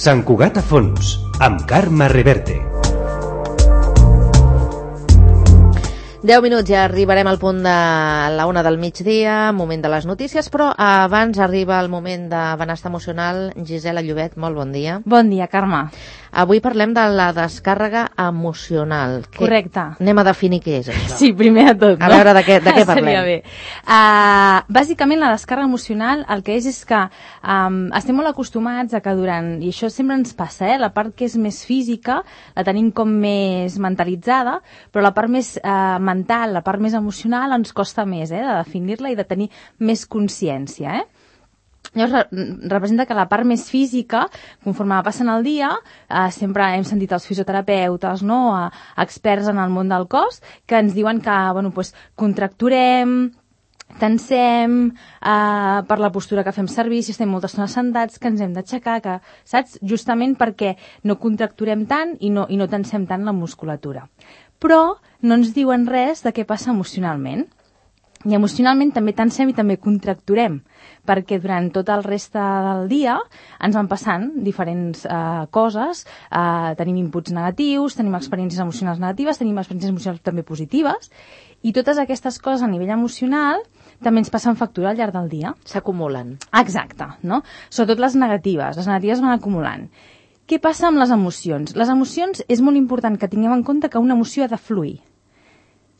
Sant Cugat a fons, amb Carme Reverte. 10 minuts, ja arribarem al punt de la 1 del migdia, moment de les notícies, però abans arriba el moment de benestar emocional. Gisela Llobet, molt bon dia. Bon dia, Carme. Avui parlem de la descàrrega emocional. Correcte. Anem a definir què és això. Sí, primer de tot, no? A veure de què parlem. Seria bé. Bàsicament, la descàrrega emocional el que és que estem molt acostumats a que durant, i això sempre ens passa, la part que és més física la tenim com més mentalitzada, però la part més mental, la part més emocional ens costa més de definir-la i de tenir més consciència, Llavors, representa que la part més física, conforme va passant el dia, sempre hem sentit els fisioterapeutes, experts en el món del cos, que ens diuen que contracturem, tensem, per la postura que fem servir, si estem molta estona sentats, que ens hem d'aixecar, saps? Justament perquè no contracturem tant i no tensem tant la musculatura. Però no ens diuen res de què passa emocionalment. I emocionalment també tensem i també contracturem, perquè durant tot el reste del dia ens van passant diferents coses, tenim inputs negatius, tenim experiències emocionals negatives, tenim experiències emocionals també positives, i totes aquestes coses a nivell emocional també ens passen factura al llarg del dia. S'acumulen. Exacte, no? Sobretot les negatives van acumulant. Què passa amb les emocions? Les emocions és molt important que tinguem en compte que una emoció ha de fluir.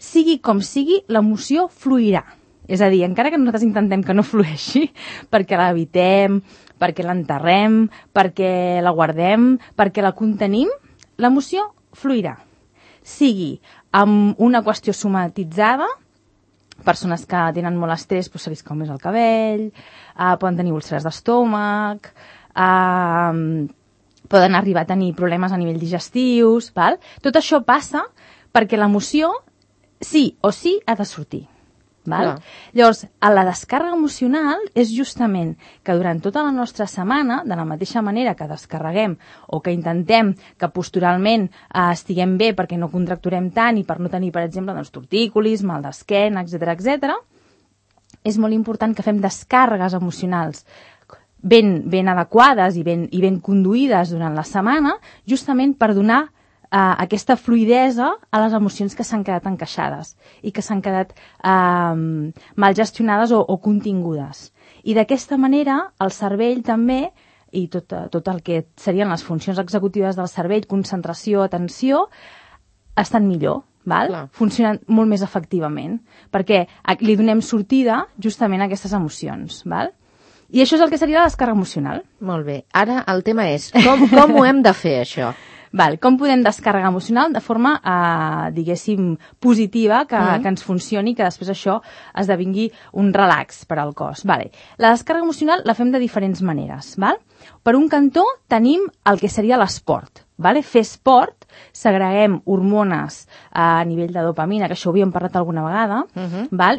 Sigui com sigui, l'emoció fluirà. És a dir, encara que nosaltres intentem que no flueixi, perquè la evitem, perquè l'enterrem, perquè la guardem, perquè la contenim, l'emoció fluirà. Sigui amb una qüestió somatitzada, persones que tenen molt estrès, se li cau més el cabell, poden tenir úlceres d'estómac, poden arribar a tenir problemes a nivell digestius, val? Tot això passa perquè l'emoció sí o sí ha de sortir. Val? Llavors, la descàrrega emocional és justament que durant tota la nostra setmana, de la mateixa manera que descarreguem o que intentem que posturalment estiguem bé perquè no contracturem tant i per no tenir, per exemple, tortícolis, mal d'esquena, etc., és molt important que fem descàrregues emocionals ben adequades i ben conduïdes durant la setmana, justament per donar aquesta fluidesa a les emocions que s'han quedat encaixades i que s'han quedat mal gestionades o contingudes. I d'aquesta manera el cervell també, i tot el que serien les funcions executives del cervell, concentració, atenció, estan millor, funcionen molt més efectivament, perquè li donem sortida justament a aquestes emocions. I això és el que seria la descàrrega emocional. Molt bé. Ara el tema és com ho hem de fer, això? Com podem descàrrega emocional de forma, diguéssim, positiva, que ens funcioni, que després això esdevingui un relax per al cos. La descàrrega emocional la fem de diferents maneres. Per un cantó tenim el que seria l'esport. Fer esport, segreguem hormones a nivell de dopamina, que això ho havíem parlat alguna vegada,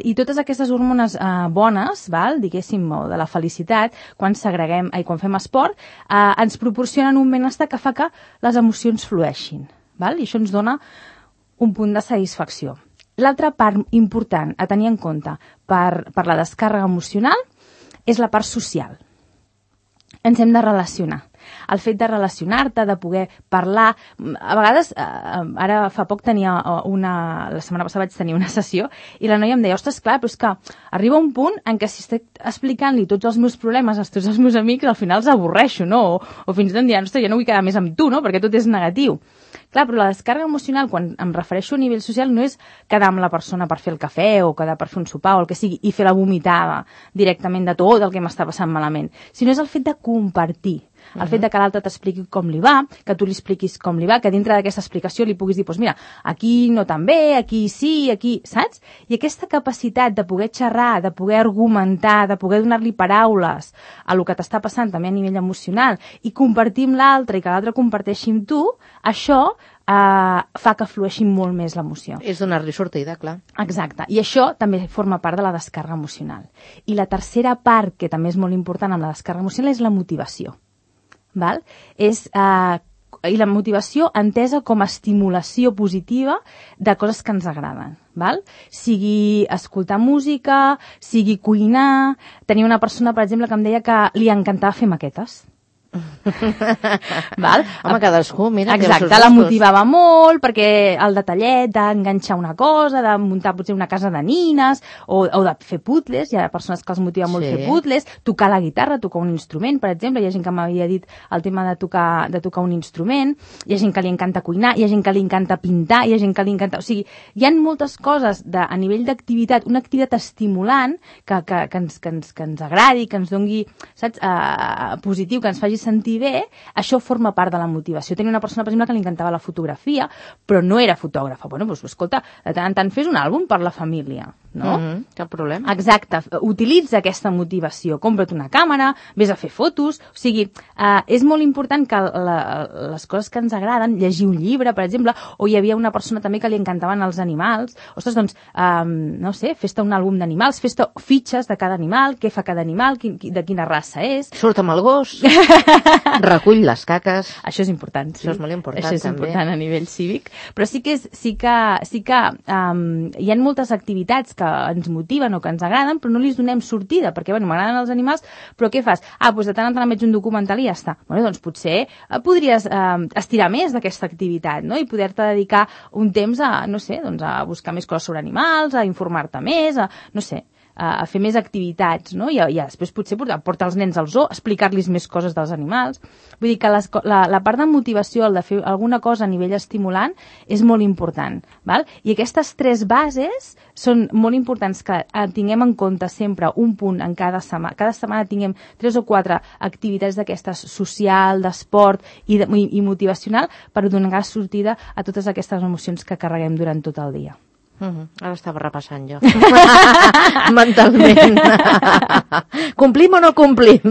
i totes aquestes hormones bones, diguéssim, de la felicitat, quan fem esport, ens proporcionen un benestar que fa que les emocions flueixin. I això ens dona un punt de satisfacció. L'altra part important a tenir en compte per la descàrrega emocional és la part social. Ens hem de relacionar. El fet de relacionar-te, de poder parlar... A vegades, ara fa poc tenia la setmana passada vaig tenir una sessió i la noia em deia, ostres, clar, però és que arriba un punt en què si estic explicant-li tots els meus problemes a tots els meus amics, al final els avorreixo, no? O fins i tot em diran, ostres, ja no vull quedar més amb tu, no? Perquè tot és negatiu. Clar, però la descàrrega emocional, quan em refereixo a nivell social, no és quedar amb la persona per fer el cafè o quedar per fer un sopar o el que sigui i fer la vomitada directament de tot el que m'està passant malament, sinó és el fet de compartir. El fet de que l'altre t'expliqui com li va, que tu li expliquis com li va, que dintre d'aquesta explicació li puguis dir, doncs mira, aquí no tan bé, aquí sí, aquí, saps? I aquesta capacitat de poder xerrar, de poder argumentar, de poder donar-li paraules a lo que t'està passant també a nivell emocional i compartir amb l'altre i que l'altre comparteixi amb tu, això fa que flueixi molt més l'emoció. És donar-li sortida, clar. Exacte. I això també forma part de la descàrrega emocional. I la tercera part, que també és molt important amb la descàrrega emocional, és la motivació. I la motivació entesa com a estimulació positiva de coses que ens agraden. Sigui escoltar música, sigui cuinar... Tenia una persona, per exemple, que em deia que li encantava fer maquetes. Val? Home, cadascú, mira, exacte, la motivava molt perquè el detallet d'enganxar una cosa, de muntar potser una casa de nines o de fer puzzles, hi ha persones que els motiva molt fer puzzles, tocar la guitarra, tocar un instrument, per exemple, hi ha gent que m'havia dit el tema de tocar un instrument, hi ha gent que li encanta cuinar, hi ha gent que li encanta pintar, hi ha gent que li encanta... O sigui, hi ha moltes coses a nivell d'activitat, una activitat estimulant que ens agradi, que ens dongui, saps, positiu, que ens faci sentir bé, això forma part de la motivació. Tenia una persona, per exemple, que li encantava la fotografia, però no era fotògrafa. Bueno, doncs, escolta, de tant en tant fes un àlbum per la família, no? Cap problema. Exacte. Utilitza aquesta motivació. Compra't una càmera, vés a fer fotos... O sigui, és molt important que les coses que ens agraden, llegir un llibre, per exemple, o hi havia una persona també que li encantaven els animals. Ostres, doncs, no sé, fes-te un àlbum d'animals, fes-te fitxes de cada animal, què fa cada animal, de quina raça és... Surt amb el gos, recull les caques... Això és important, sí. Això és molt important, també. Això és també. important a nivell cívic. Però sí que hi ha moltes activitats que ens motiven o que ens agraden, però no li donem sortida, perquè, bueno, m'agraden els animals, però què fas? Doncs de tant en tant veig un documental i ja està. Bueno, doncs potser podries estirar més d'aquesta activitat, no? I poder-te dedicar un temps a, no sé, doncs a buscar més coses sobre animals, a informar-te més, no sé, a fer més activitats, no? I després potser portar els nens al zoo, explicar-los més coses dels animals. Vull dir que la part de motivació, el de fer alguna cosa a nivell estimulant, és molt important, val? I aquestes 3 bases són molt importants que tinguem en compte sempre un punt en cada setmana. Cada setmana tinguem 3 o 4 activitats d'aquestes social, d'esport i motivacional per donar sortida a totes aquestes emocions que carreguem durant tot el dia. Ara estava repassant jo mentalment. Complim o no complim?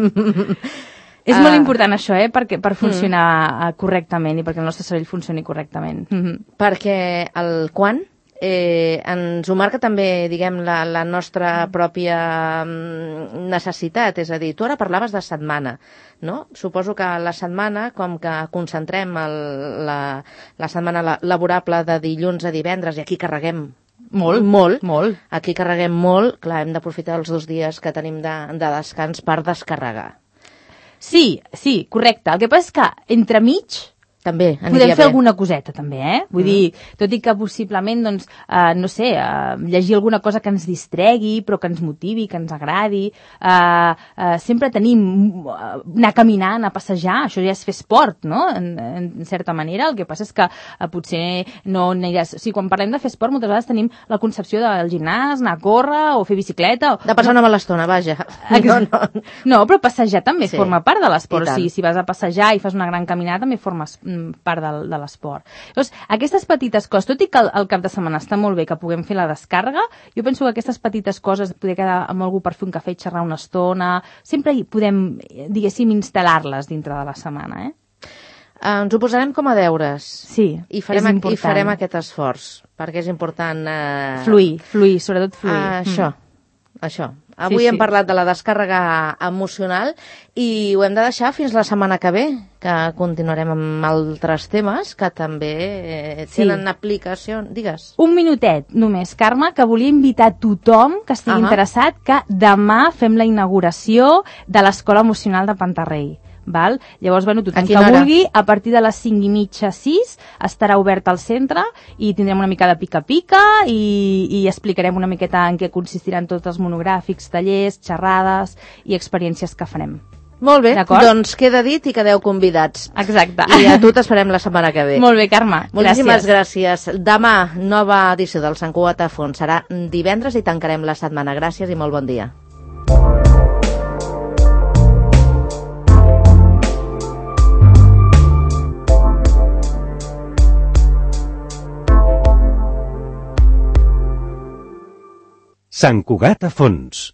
És molt important això, per funcionar correctament i perquè el nostre cervell funcioni correctament. Perquè el quan ens ho marca també, diguem, la nostra pròpia necessitat. És a dir, tu ara parlaves de setmana, no? Suposo que la setmana, com que concentrem la setmana laborable de dilluns a divendres, i aquí carreguem molt. Aquí carreguem molt, clar, hem d'aprofitar els 2 dies que tenim de descans per descarregar. Sí, correcte. El que passa és que entremig també podem fer alguna coseta, també, Vull dir, tot i que possiblement, doncs, no sé, llegir alguna cosa que ens distregui, però que ens motivi, que ens agradi. Sempre tenim anar caminant, anar a passejar, això ja és fer esport, no?, en certa manera. El que passa és que potser no aniràs... O sigui, quan parlem de fer esport, moltes vegades tenim la concepció del gimnàs, anar a córrer o fer bicicleta... De passar una mala estona, vaja. No, però passejar també forma part de l'esport. O sigui, si vas a passejar i fas una gran caminada, també formes part de l'esport. Llavors, aquestes petites coses, tot i que el cap de setmana està molt bé que puguem fer la descàrrega, jo penso que aquestes petites coses, poder quedar amb algú per fer un cafè i xerrar una estona, sempre hi podem, diguéssim, instal·lar-les dintre de la setmana, Ens ho posarem com a deures. Sí, I farem aquest esforç, perquè és important... Fluir, sobretot fluir. Això. Avui hem parlat de la descàrrega emocional i ho hem de deixar fins la setmana que ve, que continuarem amb altres temes que també tenen aplicació. Digues. Un minutet només, Carme, que volia invitar tothom que estigui interessat que demà fem la inauguració de l'Escola Emocional de Pantarrei. Val? Llavors, bueno, tothom que vulgui, a partir de les 5:30, 6, estarà obert al centre i tindrem una mica de pica-pica i explicarem una miqueta en què consistiran tots els monogràfics, tallers, xerrades i experiències que farem. Molt bé, doncs queda dit i quedeu convidats. Exacte. I a tu t'esperem la setmana que ve. Molt bé, Carme. Moltíssimes gràcies. Demà, nova edició del Sant Cugat a Fons. Serà divendres i tancarem la setmana. Gràcies i molt bon dia. Sant Cugat a Fons.